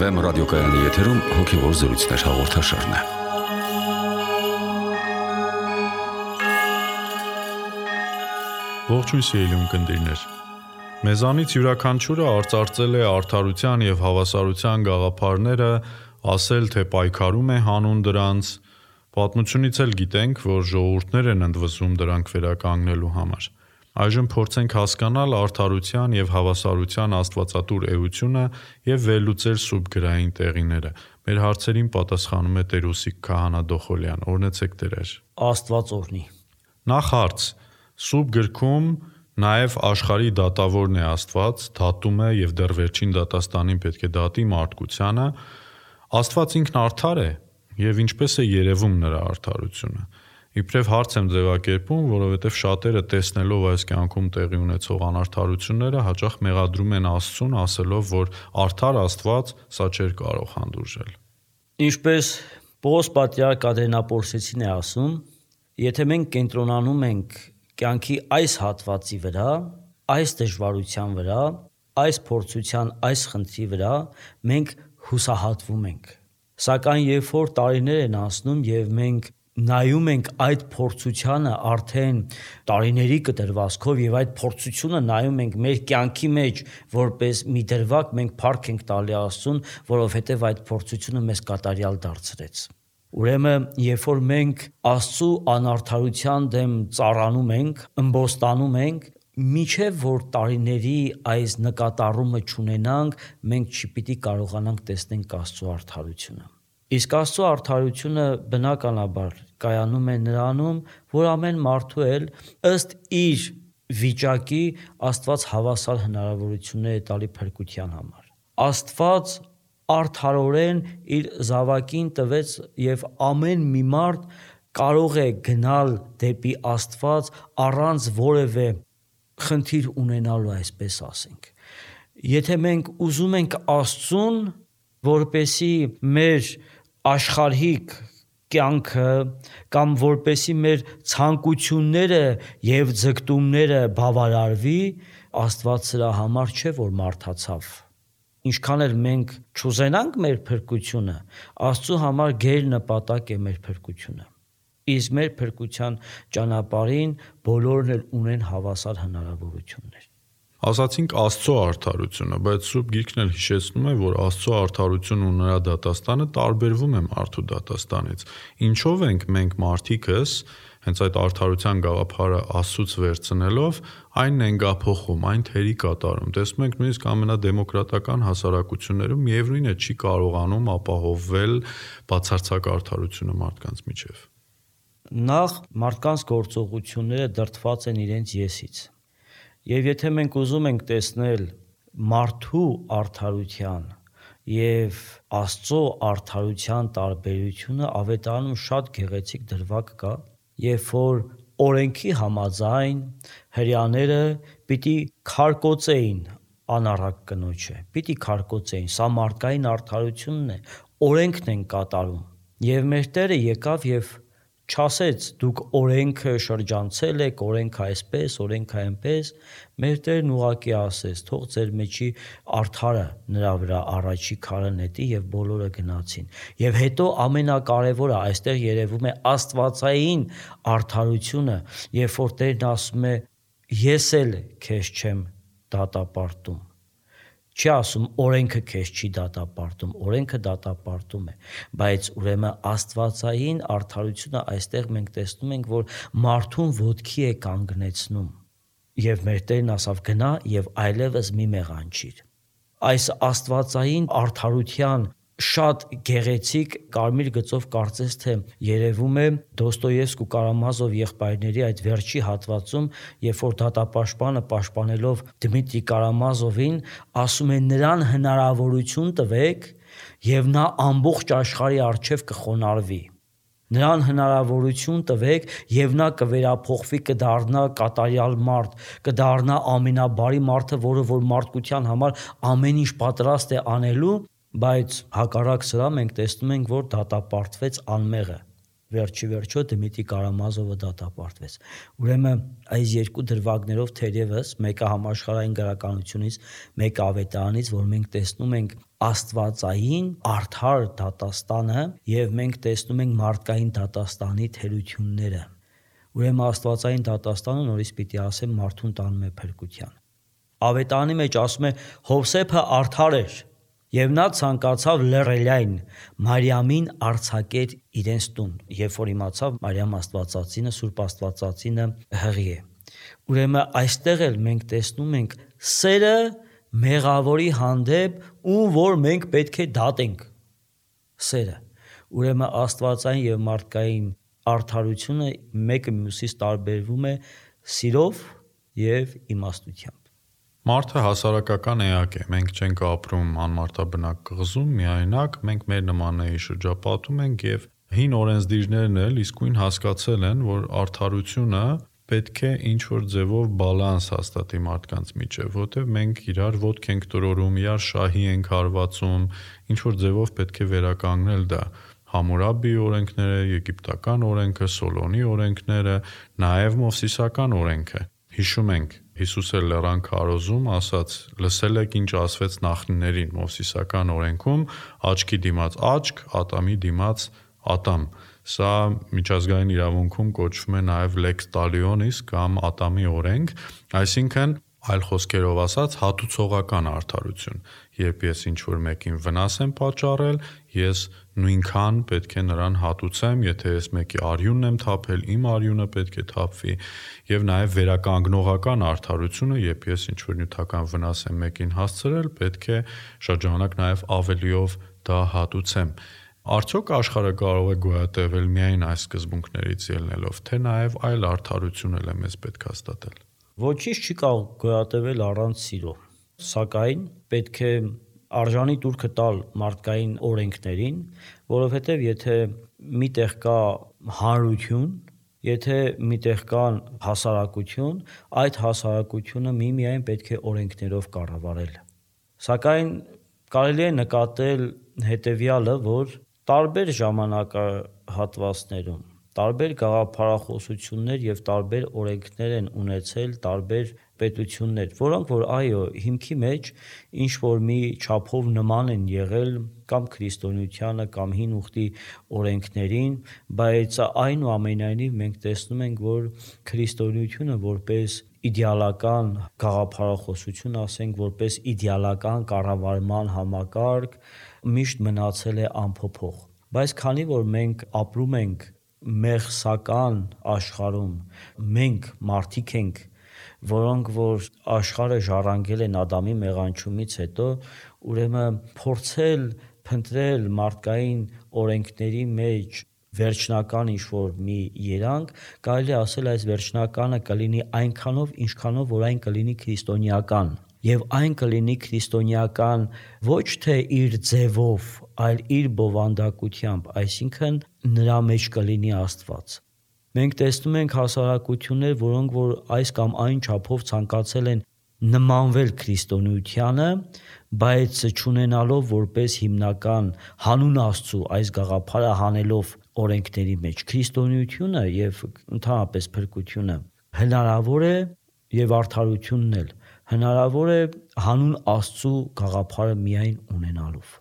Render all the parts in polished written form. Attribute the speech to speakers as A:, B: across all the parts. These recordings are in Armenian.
A: Վեմ ռադիոկայանի եթերում հոգևոր զրույցներ հաղորդաշարն է։
B: Ողջույն սիրելի ունկնդիրներ։ Մեզանից յուրաքանչյուրը արծարծել է արդարության եւ հավասարության գաղափարները, ասել թե պայքարում է հանուն դրանց, պատմությունից էլ գիտենք, որ ժողովուրդներ են ընդվզում դրանք վերականգնելու համար։ Այժմ փորձենք հասկանալ արդարության եւ հավասարության աստվածատուր էությունը եւ վերլուծել սուրբ գրային տեղիները։ Մեր հարցերին պատասխանում է Տեր Ուսիկ Քահանա Դոխոլյան։ Օրհնեցեք Տեր։
C: Աստված օրհնի։
B: Նախ հարց. Սուրբ գրքում նաև աշխարհի դատավորն է Աստված, դատում է եւ դեռ վերջին դատաստանին պետք է դատի մարդկությանը։ Աստված ինքն արդար է եւ ինչպես է երևում նրա արդարությունը։ Իբրև հարց եմ ձևակերպում, որովհետև շատերը տեսնելով այս կյանքում տեղի ունեցող անարդարությունները հաճախ մեղադրում են Աստծուն, ասելով, որ արդար Աստված սա չէր կարող հանդուրժել։
C: Ինչպես Պողոս պատրիարք Ադրենապոլսեցին է ասում, եթե մենք կենտրոնանում ենք կյանքի այս հատվածի վրա, այս դժվարության վրա, այս փորձության, այս խնդրի վրա, մենք հուսահատվում ենք։ Սակայն երբ որ տարիներ են անցնում եւ մենք նայում ենք այդ փորձությանը արդեն տարիների կտրվածքով եւ այդ փորձությունը նայում ենք մեր կյանքի մեջ որպես մի դրվագ, մենք փառք ենք տալի Աստծուն, որովհետեւ այդ փորձությունը մեզ կատարյալ դարձրեց։ Ուրեմն, երբ որ մենք Աստծու անարդարության դեմ ծառանում ենք, ըմբոստանում ենք, միջև որ տարիների այս նկատառումը չունենանք, մենք չպիտի կարողանանք տեսնել Աստծու արդարությունը։ Իսկ Աստծո արդարությունը բնականաբար կայանում է նրանում, որ ամեն մարդու էլ ըստ իր վիճակի Աստված հավասար հնարավորություններ է տալի փրկության համար։ Աստված արդարորեն իր զավակին տվեց եւ ամեն մի մարդ կարող է գնալ դեպի Աստված առանց որևէ խնդիր ունենալու, այսպես ասենք։ Եթե մենք ուզում ենք Աստծուն, որպեսի մեր աշխարհիկ կյանքը կամ որպեսի մեր ցանկությունները եւ ձգտումները բավարարվի, Աստված սրա համար չէ որ մարդացավ։ Ինչքան էլ մենք չուզենանք մեր փրկությունը, Աստծո համար գեր նպատակ է մեր փրկությունը։ Իսկ մեր փրկության ճանապարհին բոլորն էլ ունեն հավասար հնարավորություններ։
B: Ասացինք Աստծո արդարությունը, բայց Սուրբ Գիրքն էլ հիշեցնում է, որ Աստծո արդարությունն ու նրա դատաստանը տարբերվում է մարդու դատաստանից։ Ինչով ենք մենք մարդիկս հենց այդ արդարության գաղափարը Աստծուց վերցնելով այն նենգափոխում, այն թերի կատարում։ Տեսնում ենք նույնիսկ ամենադեմոկրատական հասարակություններում միևնույն է չի կարողանում ապահովվել բացարձակ արդարությունը մարդկանց միջև։
C: Նախ մարդկանց գործողությունները դրդված են իրենց եսից։ Եվ եթե մենք ուզում ենք տեսնել մարդու արդարության եւ Աստծո արդարության տարբերությունը, Ավետարանում շատ գեղեցիկ դրվագ կա, երբ որ օրենքի համաձայն հրեաները պիտի քարկոծեին անառակ կնոջը, պիտի քարկոծեին, սա մարդկային արդարությունն է, օրենքն են կատարում։ Եվ մեր Տերը եկավ եւ չասեց դուք օրենքը շրջանցել եք, օրենքը այսպես, օրենքը այնպես, մեր Տերն ուղղակի ասեց, թող ձեր մեջի արդարը նրա վրա առաջի քարը նետի եւ բոլորը գնացին։ Եվ հետո ամենակարևորը այստեղ երևում է աստվածային արդարությունը, երբ որ Տերն ասում է ես էլ քեզ չեմ դատապարտում։ Չի ասում օրենքը քեզ չի դատապարտում, օրենքը դատապարտում է, բայց ուրեմն աստվածային արդարությունը այստեղ մենք տեսնում ենք, որ մարդուն ոտքի է կանգնեցնում։ Եվ մեր Տերն ասավ գնա եւ այլևս մի մեղանչիր։ Այս աստվածային արդարության շատ գեղեցիկ կարմիր գծով կարծես թե երևում է Դոստոևսկու Կարամազով եղբայրների այդ վերջի հատվածում, երբ որ դատապաշտպանը պաշտպանելով Դմիտրի Կարամազովին ասում է նրան հնարավորություն տվեք եւ նա ամբողջ աշխարհի առջև կխոնարհվի։ Նրան հնարավորություն տվեք եւ նա կվերափոխվի, կդառնա կատարյալ մարդ, կդառնա ամենաբարի մարդը, որը որ մարդկության համար ամեն ինչ պատրաստ է անելու, բայց հակառակ սրա մենք տեսնում ենք, որ դատապարտվեց անմեղը։ վերջը Դմիտրի Կարամազովը դատապարտվեց։ Ուրեմն այս երկու դրվագներով թերևս մեկը համաշխարհային գրականությունից, մեկը ավետարանից, որ մենք տեսնում ենք աստվածային արդար դատաստանը եւ մենք տեսնում ենք մարդկային դատաստանի թերությունները։ Ուրեմն աստվածային դատաստանը նորից պիտի ասեմ մարդուն տանում է փրկության։ Ավետարանի մեջ ասում է Հովսեփը արդար էր եւ նա ցանկացավ լռելային Մարիամին արձակեր իրենց տուն, երբ որ իմացավ Մարիամ Աստվածածինը, Սուրբ Աստվածածինը հղի է։ Ուրեմն այստեղ էլ մենք տեսնում ենք սերը մեղավորի հանդեպ, ում որ մենք պետք է դատենք սերը։ Ուրեմն աստվածային եւ մարդկային արդարությունը մեկը մյուսից տարբերվում է սիրով եւ իմաստությամբ։
B: Մարդը հասարակական էակ է, մենք չենք ապրում անմարդաբնակ կղզում, միայնակ, մենք մեր նմանների շրջապատում ենք եւ հին օրենսդիրներն էլ իսկույն հասկացել են, որ արդարությունը պետք է ինչ-որ ձևով բալանս հաստատի մարդկանց միջև, որտեղ մենք իրար ոտք ենք տրորում, իրար շահի ենք հարվածում, ինչ-որ ձևով պետք է վերականգնել դա։ Համուրաբի օրենքները, եգիպտական օրենքը, Սոլոնի օրենքները, նաեւ Մովսիսական օրենքը։ Հիշում ենք Հիսուսը լեռան քարոզում ասաց. լսել եք ինչ ասվեց նախնիներին Մովսիսական օրենքում, աչքի դիմաց աչք, ատամի դիմաց ատամ։ Սա միջազգային իրավունքում կոչվում է նաև lex talionis կամ ատամի օրենք, այսինքն այլ խոսքերով ասած հատուցողական արդարություն։ Երբ ես ինչ-որ մեկին վնաս եմ պատճառել, ես նույնքան պետք է նրան հատուցեմ, եթե ես մեկի արյունն եմ թափել, իմ արյունը պետք է թափվի, եւ նաև վերականգնողական արդարությունը, երբ ես ինչ-որ նյութական վնաս եմ մեկին հասցրել, պետք է շրջանակ նաև ավելիով դա հատուցեմ։ Արդյոք աշխարհը կարող է գոյատևել միայն այս սկզբունքներից ելնելով, թե նաև այլ արդարություն էլ է մեզ պետք հաստատել։
C: Ոչինչ չի կարող գոյատևել առանց սիրո, սակայն պետք է արժանի տուրքը տալ մարդկային օրենքներին, որովհետև եթե միտեղ կա հանրություն, եթե միտեղ կան հասարակություն, այդ հասարակությունը միմիայն պետք է օրենքներով կառավարել։ Սակայն կարելի է նկատել հետևյալը, որ տարբեր ժամանակահատվածներում տարբեր գաղափարախոսություններ եւ տարբեր օրենքներ են ունեցել տարբեր պետություններ, որոնք որ այո, հիմքի մեջ ինչ որ մի չափով նման են եղել կամ քրիստոնեությանը կամ հին ուխտի օրենքներին, բայց այնուամենայնիվ մենք տեսնում ենք, որ քրիստոնեությունը որպես իդեալական գաղափարախոսություն, ասենք, որպես իդեալական կառավարման համակարգ միշտ մնացել է անփոփոխ։ Բայց քանի որ մենք ապրում ենք մեղսական աշխարհում, մենք մարդիկ ենք, որոնք որ աշխարհը ժառանգել են Ադամի մեղանչումից հետո, ուրեմն փորձել փնտրել մարդկային օրենքների մեջ վերջնական ինչ-որ մի երանգ, կարելի ասել այս վերջնականը կլինի այնքանով, ինչքանով որ այն կլինի քրիստոնեական, եւ այն կլինի քրիստոնեական ոչ թե իր ձևով, այլ իր բովանդակությամբ, այսինքն նրա մեջ կլինի Աստված։ Մենք տեսնում ենք հասարակություններ, որոնք որ այս կամ այն չափով ցանկացել են նմանվել քրիստոնեությանը, բայց չունենալով որպես հիմնական հանուն Աստծո այս գաղափարը հանելով օրենքների մեջ քրիստոնեությունը եւ ընդհանրապես փրկությունը հնարավոր է եւ արդարությունն էլ հնարավոր է հանուն Աստծո գաղափարը միայն ունենալով։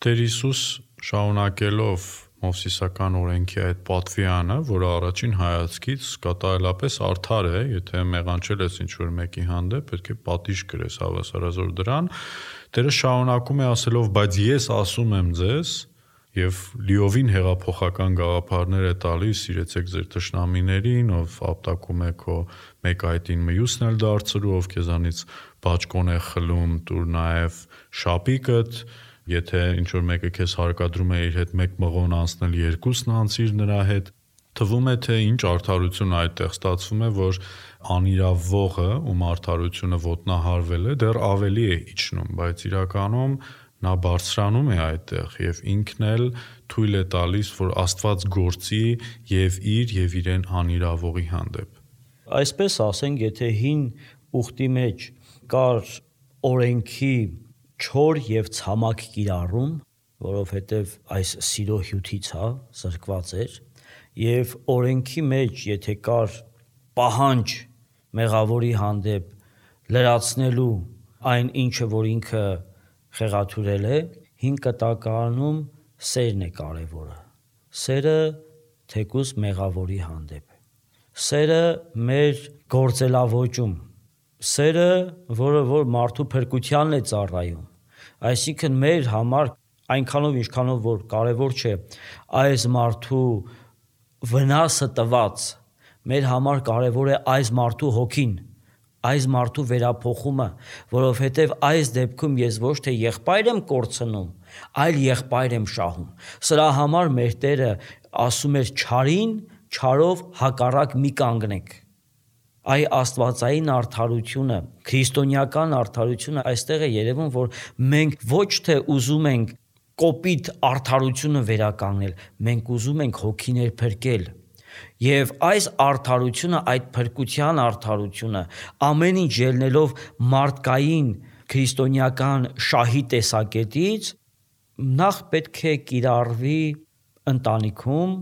B: Տեր Հիսուս շարունակելով Մովսիսական օրենքի այդ պատվյանը, որը առաջին հայացքից կատարելապես արդար է, եթե մեղանչել ես ինչ-որ մեկի հանդեպ, պետք է պատիժ կրես հավասարազոր դրան, Տերը շարունակում է ասելով, բայց ես ասում եմ ձեզ, եւ լիովին հեղափոխական գաղափարներ է տալիս, սիրեցեք ձեր թշնամիներին, ով ապտակում է քո մեկ այտին մյուսն էլ դարձրու, ով քեզանից բաճկոն է խլում, տուր նաեւ շապիկդ, եթե ինչ-որ մեկը քեզ հարկադրում է իր հետ մեկ մղոն անցնել, երկուսն անցիր նրա հետ, թվում է թե ինչ արդարություն այդտեղ ստացվում է, որ անիրավողը, ում արդարությունը ոտնահարվել է, դեռ ավելի է իջնում, բայց իրականում նա բարձրանում է այդտեղ եւ ինքն էլ թույլ է տալիս, որ Աստված գործի եւ իր եւ իրեն անիրավողի հանդեպ։
C: Այսպես ասենք, եթե հին ուխտի մեջ կար օրենքի չոր եւ ցամաք կիրառում, որովհետեւ այս սիրո հյութից զրկված էր, Եվ օրենքի մեջ, եթե կար պահանջ մեղավորի հանդեպ լրացնելու այն ինչը, որ ինքը խեղաթյուրել է, հին կտակարանում սերն է կարևորը։ Սերը թեկուզ մեղավորի հանդեպ։ Սերը մեր գործելավոճում, սերը, որ մարդու փրկությանն է ծառայում։ Այսինքն մեր համար այնքանով ինչքանով որ կարևոր չէ այս մարդու վնասը տված, մեր համար կարևոր է այս մարդու հոգին, այս մարդու վերափոխումը, որովհետև այս դեպքում ես ոչ թե եղբայր եմ կորցնում, այլ եղբայր եմ շահում։ Սրա համար մեր Տերը ասում էր չարին, չարով հակառակ մի կանգնեք։ Այ աստվածային արդարությունը, քրիստոնեական արդարությունը այստեղ է երևում, որ մենք ոչ թե ուզում ենք կոպիտ արդարությունը վերականգնել, մենք ուզում ենք հոգիներ փրկել։ Եվ այս արդարությունը, այդ փրկության արդարությունը, ամեն ինչ ելնելով մարդկային քրիստոնեական շահի տեսակետից, նախ պետք է կիրառվի ընտանիքում,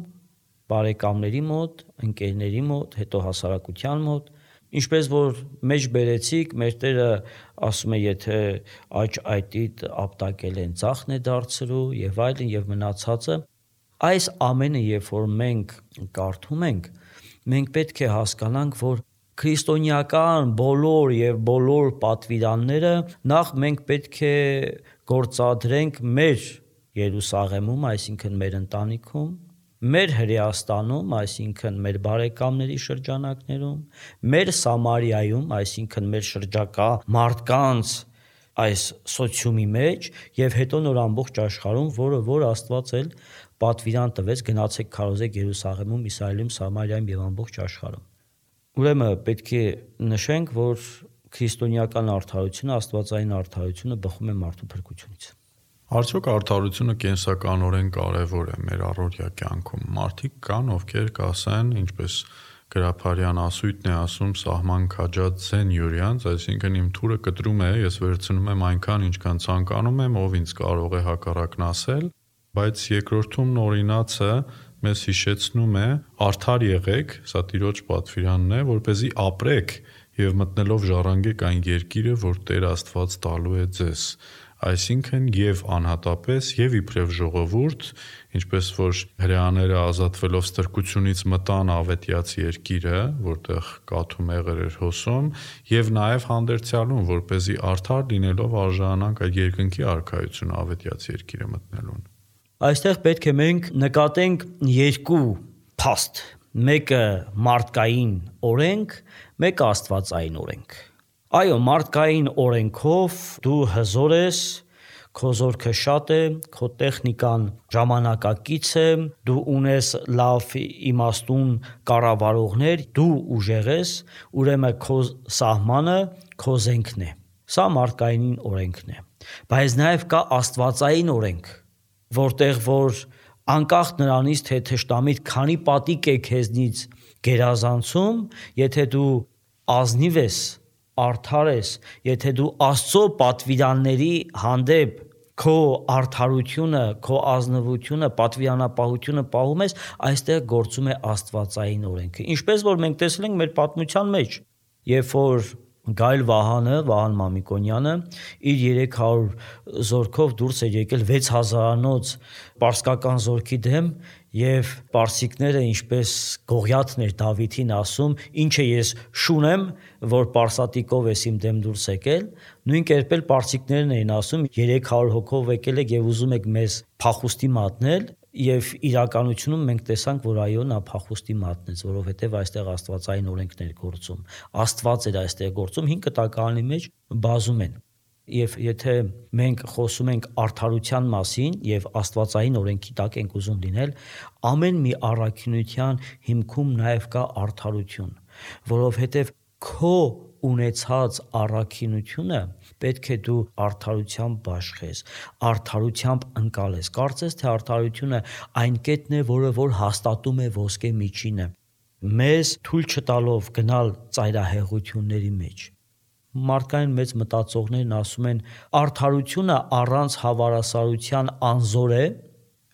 C: բարեկամների մոտ, ընկերների մոտ, հետո հասարակության մոտ, ինչպես որ մեջ բերեցիք, մեր Տերը ասում է, եթե աջ այտիդ ապտակել են, ծախն է դարձրու եւ այլն եւ մնացածը, այս ամենը երբ որ մենք կարդում ենք, մենք պետք է հասկանանք, որ քրիստոնեական բոլոր եւ բոլոր պատվիրանները նախ մենք պետք է գործադրենք մեր Երուսաղեմում, այսինքն մեր ընտանիքում, մեր Հրեաստանում, այսինքն մեր բարեկամների շրջանակներում, մեր Սամարիայում, այսինքն մեր շրջակա մարդկանց այս սոցիումի մեջ եւ հետո նոր ամբողջ աշխարհում, որ Աստված էլ պատվիրան տվեց, գնացեք քարոզեք Երուսաղեմում, Իսրայելում, Սամարիայում եւ ամբողջ աշխարհում։ Ուրեմն պետք է նշենք, որ քրիստոնեական արդարությունը, աստվածային արդարությունը բխում է մարդու փրկությունից։
B: Արդյոք արդարությունը կենսականորեն կարևոր է մեր առօրյա կյանքում։ Մարդիկ կան, ովքեր կասեն, ինչպես Գրաբարյան ասույթն է ասում, սահման քաջած ձեն յուրյանց, այսինքն իմ թուրը կտրում է, ես վերցնում եմ այնքան, ինչքան ցանկանում եմ, ով ինձ կարող է հակառակն ասել, բայց երկրորդում օրինացը մեզ հիշեցնում է արդար եղեք, սա Տիրոջ պատվիրանն է, որպեսզի ապրեք եւ մտնելով ժառանգեք այն երկիրը, որ Տեր Աստված տալու է ձեզ։ Այսինքն եւ անհատապես եւ իբրև ժողովուրդ, ինչպես որ հրեաները ազատվելով ստրկությունից մտան ավետյաց երկիրը, որտեղ կաթու մեղր էր հոսում, եւ նաեւ հանդերձյալուն, որպեսզի արդար լինելով արժանանք այդ երկնքի արքայությունը ավետյաց երկիրը մտնելուն։
C: Այստեղ պետք է մենք նկատենք երկու փաստ, մեկը մարդկային օրենք, մեկը աստվածային օրենք։ Այո, մարդկային օրենքով դու հզոր ես, քո զորքը շատ է, քո տեխնիկան ժամանակակից է, դու ունես լավ իմաստուն կառավարողներ, դու ուժեղ ես, ուրեմն քո սահմանը քո զենքն է։ Սա մարդկային օրենքն է։ Բայց նաև կա աստվածային օրենք, որտեղ որ անկախ նրանից, թե թշնամիդ քանի պատիկ է քեզնից գերազանցում, եթե դու ազնիվ ես, արդար ես, եթե դու Աստծո պատվիրանների հանդեպ քո արդարությունը, քո ազնվությունը, պատվիրանապահությունը պահում ես, այստեղ գործում է աստվածային օրենքը։ Ինչպես որ մենք տեսել ենք մեր պատմության մեջ, երբ որ Գայլ Վահան Մամիկոնյանը իր 300 զորքով դուրս էր եկել 6000-անոց պարսկական զորքի դեմ եւ պարսիկները ինչպես Գողիաթն էր Դավիթին ասում, ինչ է ես շուն եմ, որ պարսատիկով ես իմ դեմ դուրս եկել, նույն կերպ էլ պարսիկներն էին ասում 300 հոգով եկել եք եւ ուզում եք մեզ փախուստի մատնել եւ իրականությունում մենք տեսանք, որ այո, նա փախուստի մատնեց, որովհետեւ այստեղ աստվածային օրենքներ գործում, Աստված էր այստեղ գործում, 5 կտակարանի մեջ բազում են։ Եվ եթե մենք խոսում ենք արդարության մասին եւ աստվածային օրենքի տակ ենք ուզում լինել, ամեն մի առաքինության հիմքում նաեւ կա արդարություն, որովհետեւ քո ունեցած առաքինությունը պետք է դու արդարությամբ բաշխես, արդարությամբ ընկալես։ Կարծես թե արդարությունը այն կետն է, որը որ հաստատում է ոսկե միջինը, մեզ թույլ չտալով գնալ ծայրահեղությունների մեջ։ Մարդկային մեծ մտածողներն ասում են, արդարությունը առանց հավասարության անզոր է,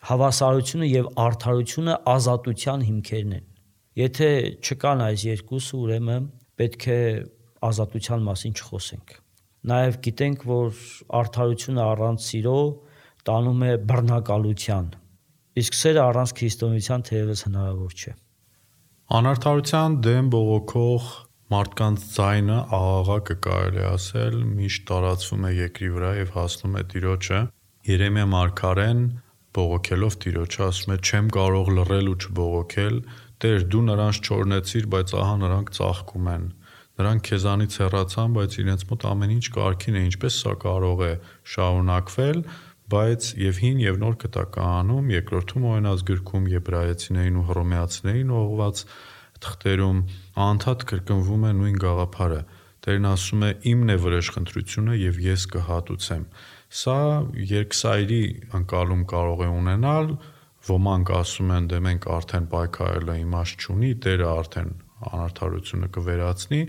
C: Հավասարությունը եւ արդարությունը ազատության հիմքերն են։ Եթե չկան այս երկուսը, ուրեմն պետք է ազատության մասին չխոսենք։ Նաեւ գիտենք, որ արդարությունը առանց սիրո տանում է բռնակալության, իսկ սերը առանց քրիստոնեության թերևս հնարավոր չէ։
B: Անարդարության դեմ բողոքող մարդկանց ձայնը աղաղակը կարելի ասել միշտ տարածվում է երկրի վրա եւ հասնում է Տիրոջը։ Երեմիա մարգարեն բողոքելով Տիրոջը ասում է. «Չեմ կարող լռել ու չբողոքել, Տեր, դու նրանց չօրհնեցիր, բայց ահա նրանք ծաղկում են։ Նրանք քեզանից հեռացան, բայց իրենց մոտ ամեն ինչ կարգին է, ինչպես սա կարող է շարունակվել, բայց եւ հին եւ նոր կտակահանում երկրորդում օրենսգրքում եբրայեցիներին ու հռոմեացիներին ուղղված թղթերում անդադ կրկնվում է նույն գաղափարը։ Տերն ասում է. «Իմն է վրեժխնդրությունը եւ ես կհատուցեմ»։ Սա երկսայրի ընկալում կարող է ունենալ, ոմանք ասում են, դե մենք արդեն պայքարելը իմաստ չունի, Տերը արդեն անարդարությունը կվերացնի,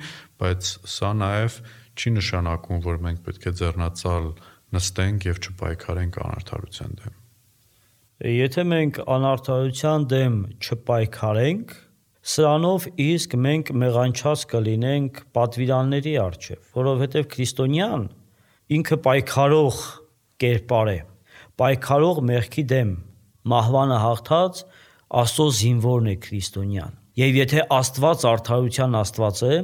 B: բայց սա նաև չի նշանակում, որ մենք պետք է ձեռնածալ նստենք եւ չպայքարենք անարդարության դեմ։
C: Եթե մենք անարդարության դեմ չպայքարենք, սրանով իսկ մենք մեղանչած կլինենք պատվիրանների առջև, որովհետև քրիստոնյան ինքը պայքարող կերպար է, պայքարող մեղքի դեմ, մահվանը հաղթած Աստծո զինվորն է քրիստոնյան։ Եվ եթե Աստված արդարության Աստված է,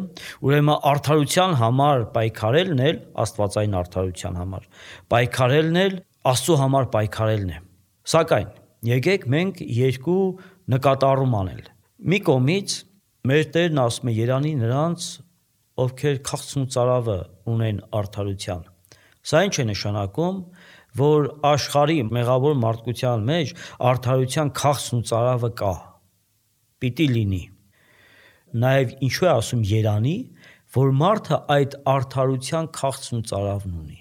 C: ուրեմն արդարության համար պայքարելն էլ աստվածային արդարության համար, պայքարելն էլ Աստծո համար պայքարելն է։ Սակայն եկեք մենք երկու նկատառում անել։ Մի կողմից մեր Տերն ասում է երանի նրանց, ովքեր քաղցն ու ծարավը ունեն արդարության։ Սա ինչ է նշանակում, որ աշխարհի մեղավոր մարդկության մեջ արդարության քաղցն ու ծարավը կա, պիտի լինի։ Նաև ինչու է ասում երանի, որ մարդը այդ արդարության քաղցն ու ծարավն ունի։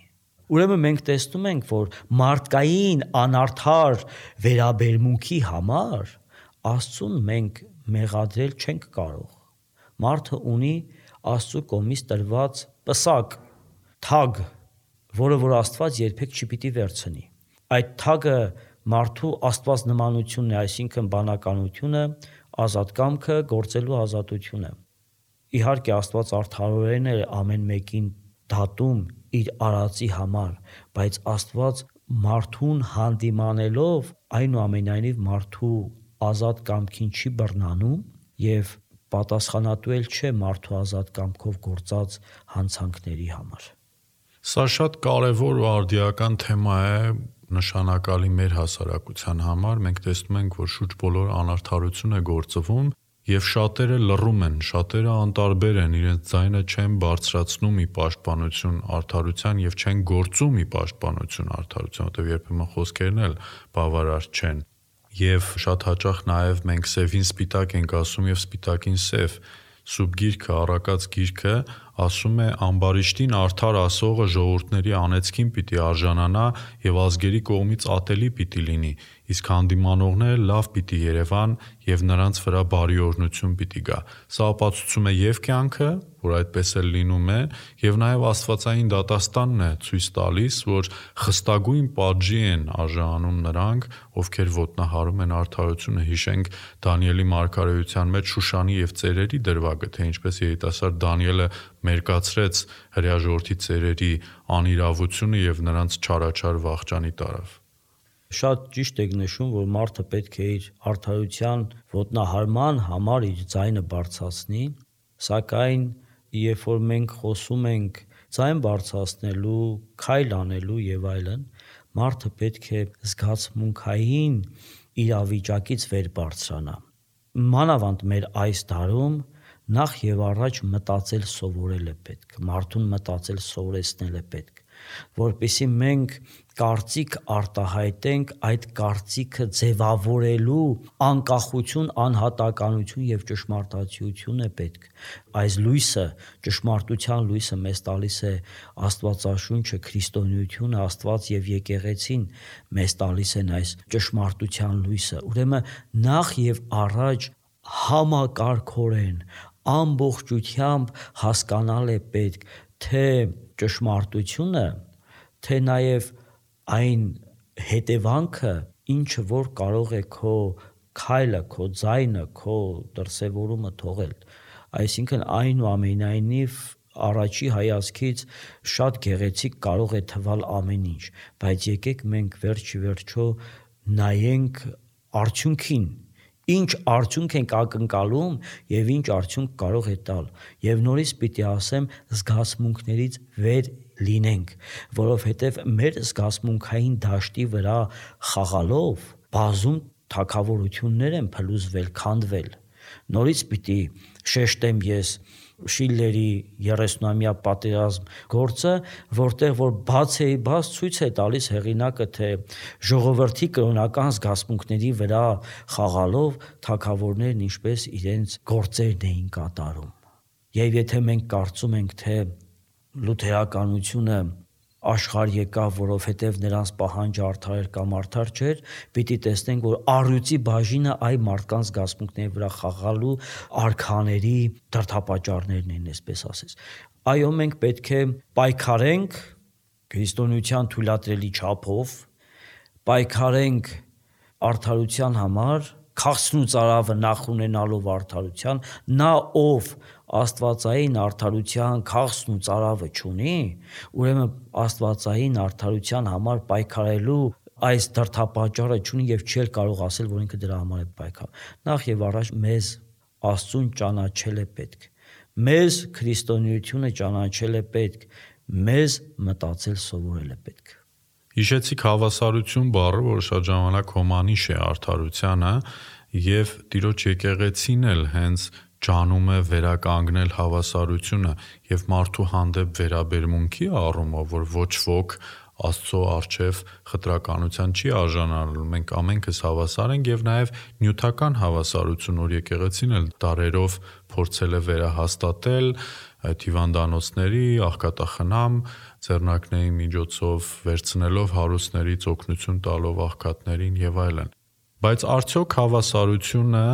C: Ուրեմն մենք տեսնում ենք, որ մարդկային անարդար վերաբերմունքի համար Աստծուն մենք մեղադրել չենք կարող։ Մարդը ունի Աստծո կողմից տրված պսակ, թագ, որը որ Աստված երբեք չպիտի վերցնի։ Այդ թագը մարդու Աստված նմանությունն է, այսինքն բանականությունը, ազատ կամքը, գործելու ազատությունը։ Իհարկե Աստված արդարորեն է ամեն մեկին դատում իր արածի համար, բայց Աստված մարդուն հանդիմանելով այնուամենայնիվ մարդու ազատ կամքին չի բռնանում եւ պատասխանատու էլ չէ մարդու ազատ կամքով գործած հանցանքների համար։
B: Սա շատ կարևոր ու արդիական թեմա է, նշանակալի մեր հասարակության համար։ Մենք տեսնում ենք, որ շուրջ բոլոր անարդարություն է գործվում եւ շատերը լռում են, շատերը անտարբեր են, իրենց ձայնը չեն բարձրացնում ի պաշտպանություն արդարության եւ չեն գործում ի պաշտպանություն արդարության, որտեղ երբեմն խոսքերն էլ բավարար չեն։ Եվ շատ հաճախ նաև մենք սևին սպիտակ ենք ասում եւ սպիտակին սև։ Սուրբ Գիրքը, առակած Գիրքը ասում է ամբարիշտին արդար ասողը ժողովուրդների անեծքին պիտի արժանանա եւ ազգերի կողմից ատելի պիտի լինի, իսկ հանդիմանողները լավ պիտի երևան եւ նրանց վրա բարի օրհնություն պիտի գա։ Սա ապացուցում է եւ կյանքը, որ այդպես էլ լինում է, եւ նաեւ աստվածային դատաստանն է ցույց տալիս, որ խստագույն պատժի են արժանանում նրանք, ովքեր ոտնահարում են արդարությունը։ Հիշենք Դանիելի մարգարեության մեջ Շուշանի եւ ծերերի դրվագը, թե ինչպես երիտասարդ Դանիելը մերկացրեց հրեա ժողովրդի ծերերի անիրավությունը եւ նրանց չարաչար վախճանի տարավ։
C: Շատ ճիշտ եք նշում, որ մարդը պետք է իր արդարության ոտնահարման համար իր ձայնը բարձրացնի, սակայն երբ որ մենք խոսում ենք ձայն բարձրացնելու, քայլ անելու եւ այլն, մարդը պետք է զգացմունքային իրավիճակից վեր բարձրանա։ Մանավանդ մեր այս դարում նախ եւ առաջ մտածել սովորել է պետք, մարդուն մտածել սովորեցնել է պետք, որպեսզի մենք կարծիք արտահայտենք, այդ կարծիքը ձևավորելու անկախություն, անհատականություն եւ ճշմարտացիություն է պետք։ Այս լույսը, ճշմարտության լույսը մեզ տալիս է Աստվածաշունչը, քրիստոնեությունը, Աստված եւ եկեղեցին մեզ տալիս են այս ճշմարտության լույսը։ Ուրեմն նախ եւ առաջ համակարգորեն ամբողջությամբ հասկանալ է պետք, թե ճշմարտությունը, թե նաև այն հետևանքը, ինչը որ կարող է քո քայլը, քո ձայնը, քո դրսևորումը թողել։ Այսինքն այնուամենայնիվ առաջի հայացքից շատ գեղեցիկ կարող է թվալ ամեն ինչ, բայց եկեք մենք վերջիվերջո նայենք արդյունքին, ինչ արդյունք ենք ակնկալում եւ ինչ արդյունք կարող է տալ։ Եվ նորից պիտի ասեմ, զգացմունքներից վեր լինենք, որովհետեւ մեր զգացմունքային դաշտի վրա խաղալով բազում թագավորություններ են փլուզվել, քանդվել։ Նորից պիտի շեշտեմ ես Շիլլերի 30-ամյա պատերազմ գործը, որտեղ որ բաց ցույց է տալիս հեղինակը, թե ժողովրդի կրոնական զգացմունքների վրա խաղալով թագավորներն ինչպես իրենց գործերն էին կատարում։ Եվ եթե մենք կարծում ենք, թե լութերականությունը աշխարհ եկավ, որովհետև նրանց պահանջը արդար էր կամ արդար չէր, պիտի տեսնենք, որ առյուծի բաժինը այ մարդկանց զգացմունքների վրա խաղալու արքաների դրդապատճառներն են, այսպես ասես։ Այո, մենք պետք է պայքարենք քրիստոնեության թույլատրելի չափով, պայքարենք արդարության համար, քաղցն ու ծարավը նախ ունենալով արդարության, նա ով աստվածային արդարության քաղցն ու ծարավը չունի, ուրեմն աստվածային արդարության համար պայքարելու այս դրդապատճառը չունի եւ չի կարող ասել, որ ինքը դրա համար է պայքարում։ Նախ եւ առաջ մեզ Աստծուն ճանաչել է պետք, մեզ քրիստոնեությունը ճանաչել է պետք, մեզ մտածել սովորել է պետք։
B: Հիշեցիք հավասարություն բառը, որ շատ ժամանակ հոմանիշ է արդարությանը, եւ Տիրոջ եկեղեցին էլ հենց ջանում է վերականգնել հավասարությունը եւ մարդու հանդեպ վերաբերմունքի առումով, որ ոչ ոք Աստծո առջև խտրականության չի արժանանալու, մենք ամենքս հավասար ենք եւ նաեւ նյութական հավասարություն, որ եկեղեցին էլ դարերով փորձել է վերահաստատել այդ հիվանդանոցների, աղքատախնամ ձեռնարկների միջոցով վերցնելով հարուստներից օգնություն տալով աղքատներին եւ այլն։ Բայց արդյոք հավասարությունը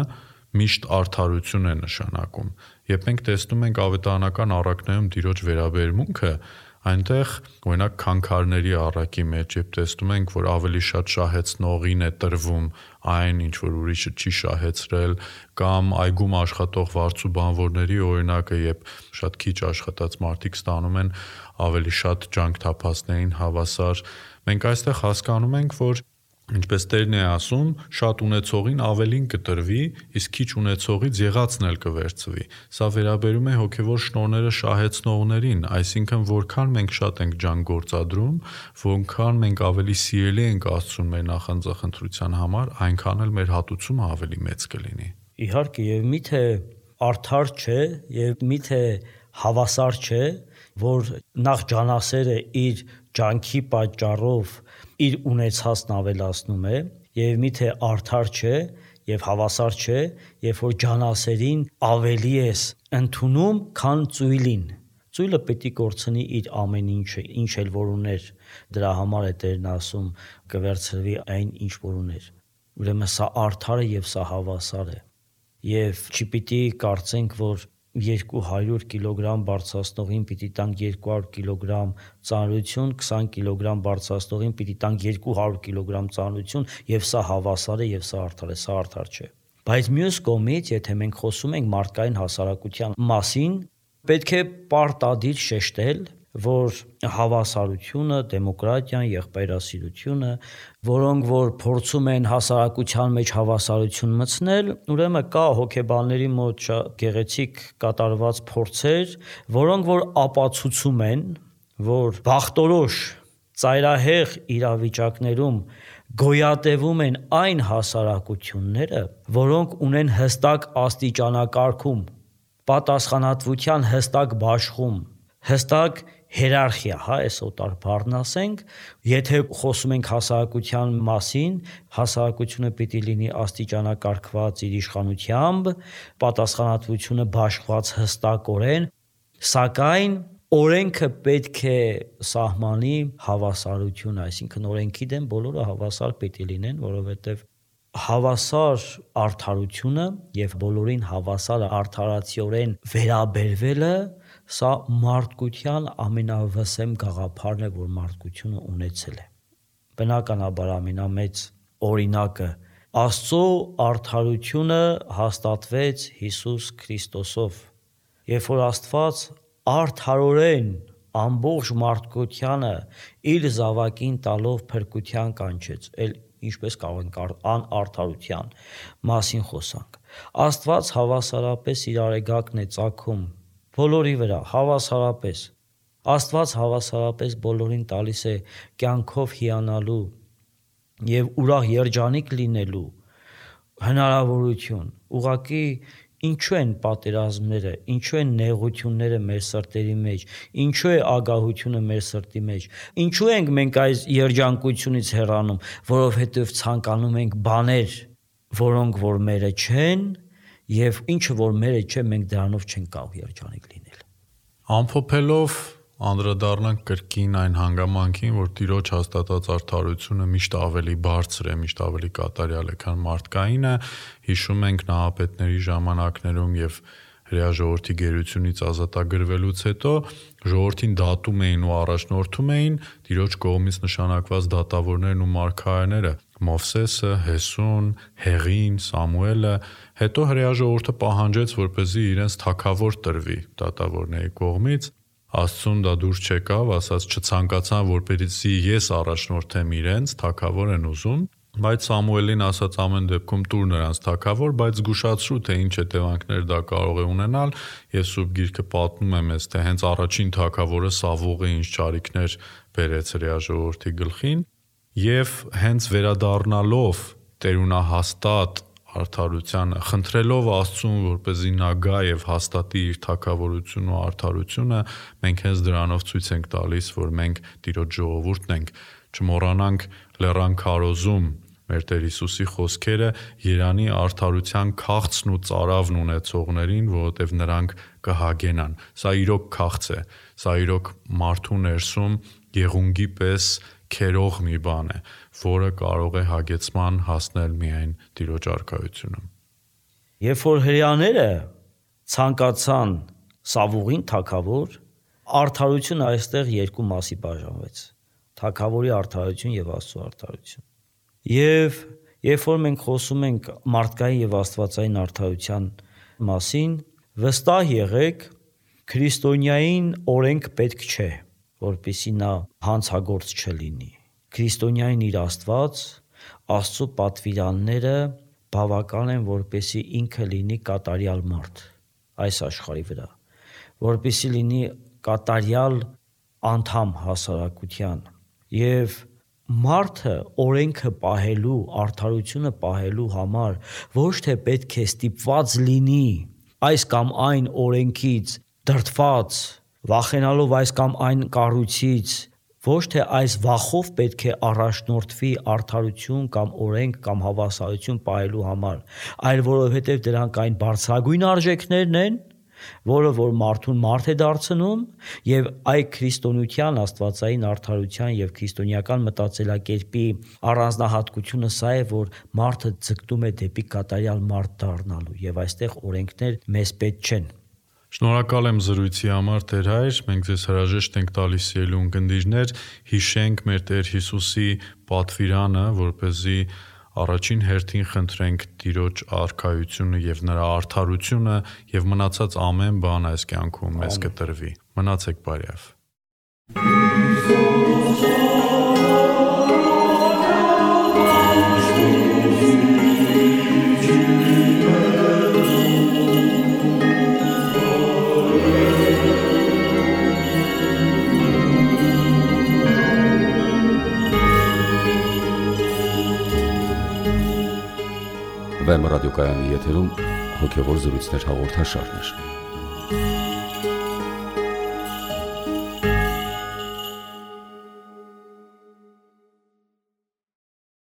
B: միշտ արդարություն է նշանակում։ Երբ մենք տեսնում ենք ավետարանական առակներում Տիրոջ վերաբերմունքը, այնտեղ օրինակ քանքարների առակի մեջ երբ տեսնում ենք, որ ավելի շատ շահեցնողին է տրվում այն, ինչ որ ուրիշը չի շահեցրել, կամ այգում աշխատող վարձու բանվորների օրինակը, երբ շատ քիչ աշխատած մարդիկ ստանում են ավելի շատ ջանք թափածներին հավասար, մենք այստեղ հասկանում ենք, որ ինչպես Տերն է ասում, շատ ունեցողին ավելին կտրվի, իսկ քիչ ունեցողից եղածն էլ կվերցվի։ Սա վերաբերում է հոգևոր շնորհները շահեցնողներին, այսինքն որքան մենք շատ ենք ջանք գործադրում, որքան մենք ավելի սիրելի ենք Աստծուն մեր նախանձախնդրության համար, այնքան էլ մեր հատուցումը ավելի մեծ կլինի։
C: Իհարկե, եւ միթե արդար չէ, եւ միթե հավասար չէ, որ նախ ջանասերը իր ջանքի պատճառով իր ունեցածն ավելացնում է, եւ միթե արդար չէ եւ հավասար չէ, երբ որ ջանասերին ավելի ես ընդունում, քան ծույլին։ Ծույլը պետք է կորցնի իր ամեն ինչը, ինչ էլ որ ուներ, դրա համար է Տերն ասում կվերցրվի այն ինչ որ ուներ։ Ուրեմն սա արդար է եւ սա հավասար է։ Եվ չպիտի կարծենք, որ 200 կիլոգրամ բարձրացնողին պիտի տանք 200 կիլոգրամ ծանրություն, 20 կիլոգրամ բարձրացնողին պիտի տանք 200 կիլոգրամ ծանրություն, եւ սա հավասար է եւ սա արդար է, սա արդար չէ։ Բայց մյուս կողմից, եթե մենք խոսում ենք մարդկային հասարակության մասին, պետք է պարտադիր շեշտել, որ հավասարությունը, դեմոկրատիան, եղբայրասիրությունը, որոնք որ փորձում են հասարակության մեջ հավասարություն մտցնել, ուրեմն կա հոգեբանների մոտ գեղեցիկ կատարված փորձեր, որոնք որ ապացուցում են, որ բախտորոշ ծայրահեղ իրավիճակներում գոյատևում են այն հասարակությունները, որոնք ունեն հստակ աստիճանակարգում, պատասխանատվության հստակ բաշխում, հստակ հիերարխիա, այս օտար բառն ասենք, եթե խոսում ենք հասարակության մասին, հասարակությունը պիտի լինի աստիճանակարգված իր իշխանությամբ, պատասխանատվությունը բաշխված հստակորեն, սակայն օրենքը պետք է սահմանի հավասարություն, այսինքն օրենքի դեմ բոլորը հավասար պիտի լինեն, որովհետև հավասար արդարությունը եւ բոլորին հավասար արդարացիորեն վերաբերվելը սա մարդկության ամենավսեմ գաղափարն է, որ մարդկությունը ունեցել է։ Բնականաբար ամենամեծ օրինակը։ Աստծո արդարությունը հաստատվեց Հիսուս Քրիստոսով։ Երբ որ Աստված արդարորեն ամբողջ մարդկությանը իր զավակին տալով փրկության կանչեց, ինչպես կարող ենք անարդարության մասին խոսանք։ Աստված հավասարապես իր արեգակն է ծագում բոլորի վրա, հավասարապես։ Աստված հավասարապես բոլորին տալիս է կյանքով հիանալու եւ ուրախ երջանիկ լինելու հնարավորություն։ Ուղղակի ինչու են պատերազմները, ինչու են նեղությունները մեր սրտերի մեջ, ինչու է ագահությունը մեր սրտի մեջ, ինչու ենք մենք այս երջանկությունից հեռանում, որովհետև ցանկանում ենք բաներ, որոնք որ մերը չեն, եւ ինչը որ մերը չէ, մենք դրանով չենք կարող երջանիկ լինել։
B: Ամփոփելով անդրադառնանք կրկին այն հանգամանքին, որ Տիրոջ հաստատած արդարությունը միշտ ավելի բարձր է, միշտ ավելի կատարյալ է, քան մարդկայինը, հիշում ենք նահապետների ժամանակներում եւ հրեա ժողովրդի գերությունից ազատագրվելուց հետո ժողովրդին դատում էին ու առաջնորդում էին Տիրոջ կողմից նշանակված դատավորներն ու մարգարեները՝ Մովսեսը, Հեսուն, Հեղին, Սամուելը, հետո հրեա ժողովուրդը պահանջեց, որպեսզի իրենց թագավոր տրվի դատավորների կողմից։ Աստծուն դա դուր չեկավ, ասաց չցանկացան, որպեսզի ես առաջնորդեմ իրենց, թագավոր են ուզում, բայց Սամուելին ասաց ամեն դեպքում տուր նրանց թագավոր, բայց զգուշացրու, թե ինչ հետևանքներ դա կարող է ունենալ, եւ Սուրբ Գիրքը պատմում է մեզ, թե հենց առաջին թագավորը Սավողը ինչ ճարիքներ բերեց հրեա ժողովրդի գլխին, եւ հենց վերադառնալով տերունահաստատ արդարությանը, խնդրելով Աստծուն, որպեսզի նա գա եւ հաստատի իր թագավորությունն ու արդարությունը, մենք հենց դրանով ցույց ենք տալիս, որ մենք Տիրոջ ժողովուրդն ենք։ Չմոռանանք լեռան քարոզում մեր Տեր Հիսուսի խոսքերը Երանի արդարության քաղցն ու ծարավն ունեցողներին, որովհետև նրանք կհագենան։ Սա իրոք քաղց է, սա իրոք մարդու ներսում եղունգի պես քերող մի բան է, որը կարող է հագեցման հասնել միայն Տիրոջ արքայությունում։
C: Երբ որ հրեաները ցանկացան Սավուղին թագավոր, արդարությունը այստեղ երկու մասի բաժանվեց՝ թագավորի արդարություն եւ Աստծո արդարություն։ Եվ երբ որ մենք խոսում ենք մարդկային եւ աստվածային արդարության մասին, վստահ եղեք, քրիստոնյային օրենք պետք չէ, որպեսզի նա հանցագործ չլինի։ Քրիստոնյային իր Աստված, Աստծո պատվիրանները բավական են, որպեսզի ինքը լինի կատարյալ մարդ այս աշխարհի վրա, որպեսզի լինի կատարյալ անդամ հասարակության եւ մարդը օրենքը պահելու, արդարությունը պահելու համար ոչ թե պետք է ստիպված լինի այս կամ այն օրենքից դրդված, վախենալով այս կամ այն կառույցից, ոչ թե այս վախով պետք է առաջնորդվի արդարություն կամ օրենք կամ հավասարություն պահելու համար, այլ որովհետև դրանք այն բարձրագույն արժեքներն են, որը որ մարդուն մարդ է դարձնում եւ այ քրիստոնեության աստվածային արդարության եւ քրիստոնեական մտածելակերպի առանձնահատկությունը սա է, որ մարդը ձգտում է դեպի կատարյալ մարդ դառնալու եւ այստեղ օրենքներ մեզ պետք չեն։
B: Շնորհակալ եմ զրույցի համար, Տեր Հայր, մենք ձեզ հրաժեշտ ենք տալիս ելուն գնդիժներ, հիշենք մեր Տեր Հիսուսի պատվիրանը, որպեսզի առաջին հերթին խնդրենք Տիրոջ արքայությունը եւ նրա արդարությունը եւ մնացած ամեն բան այս կյանքում մեզ կտրվի։ Մնացեք բարյավ։
A: Վեմ ռադիոկայանի եթերում հոգևոր զրույցներ հաղորդաշարներ։